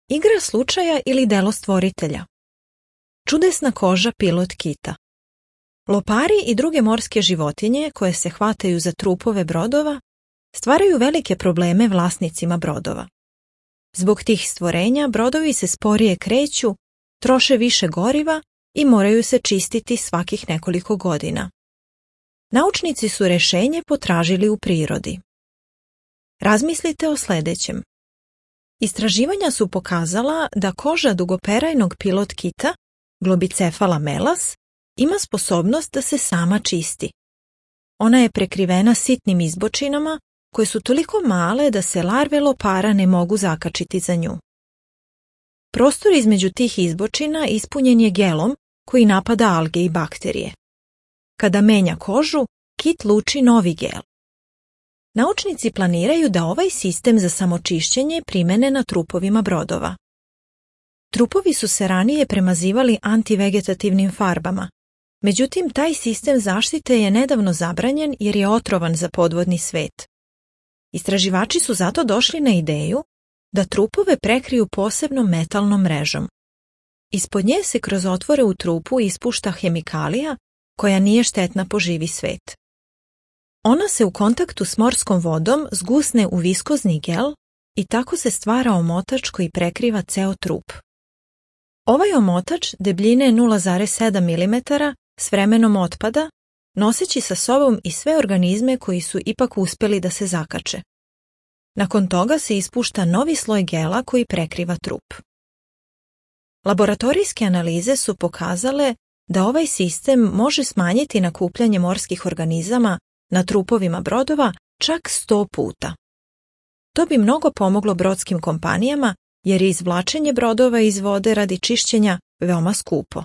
Igra slučaja ili delo stvoritelja? Čudesna koža pilot kita. Lopari i druge morske životinje koje se hvataju za trupove brodova stvaraju velike probleme vlasnicima brodova. Zbog tih stvorenja brodovi se sporije kreću, troše više goriva i moraju se čistiti svakih nekoliko godina. Naučnici su rješenje potražili u prirodi. Razmislite o sljedećem. Istraživanja su pokazala da koža dugoperajnog pilot kita, Globicephala melas, ima sposobnost da se sama čisti. Ona je prekrivena sitnim izbočinama koje su toliko male da se larve lopara ne mogu zakačiti za nju. Prostor između tih izbočina ispunjen je gelom koji napada alge i bakterije. Kada menja kožu, kit luči novi gel. Naučnici planiraju da ovaj sistem za samočišćenje primene na trupovima brodova. Trupovi su se ranije premazivali antivegetativnim farbama, međutim taj sistem zaštite je nedavno zabranjen jer je otrovan za podvodni svet. Istraživači su zato došli na ideju da trupove prekriju posebnom metalnom mrežom. Ispod nje se kroz otvore u trupu ispušta hemikalija koja nije štetna po živi svet. Ona se u kontaktu s morskom vodom zgusne u viskozni gel i tako se stvara omotač koji prekriva ceo trup. Ovaj omotač debljine 0,7 mm s vremenom otpada, noseći sa sobom i sve organizme koji su ipak uspjeli da se zakače. Nakon toga se ispušta novi sloj gela koji prekriva trup. Laboratorijske analize su pokazale da ovaj sistem može smanjiti nakupljanje morskih organizama na trupovima brodova čak 100 puta. To bi mnogo pomoglo brodskim kompanijama jer je izvlačenje brodova iz vode radi čišćenja veoma skupo.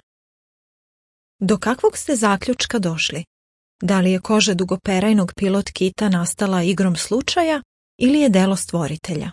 Do kakvog ste zaključka došli? Da li je koža dugoperajnog pilot kita nastala igrom slučaja ili je delo stvoritelja?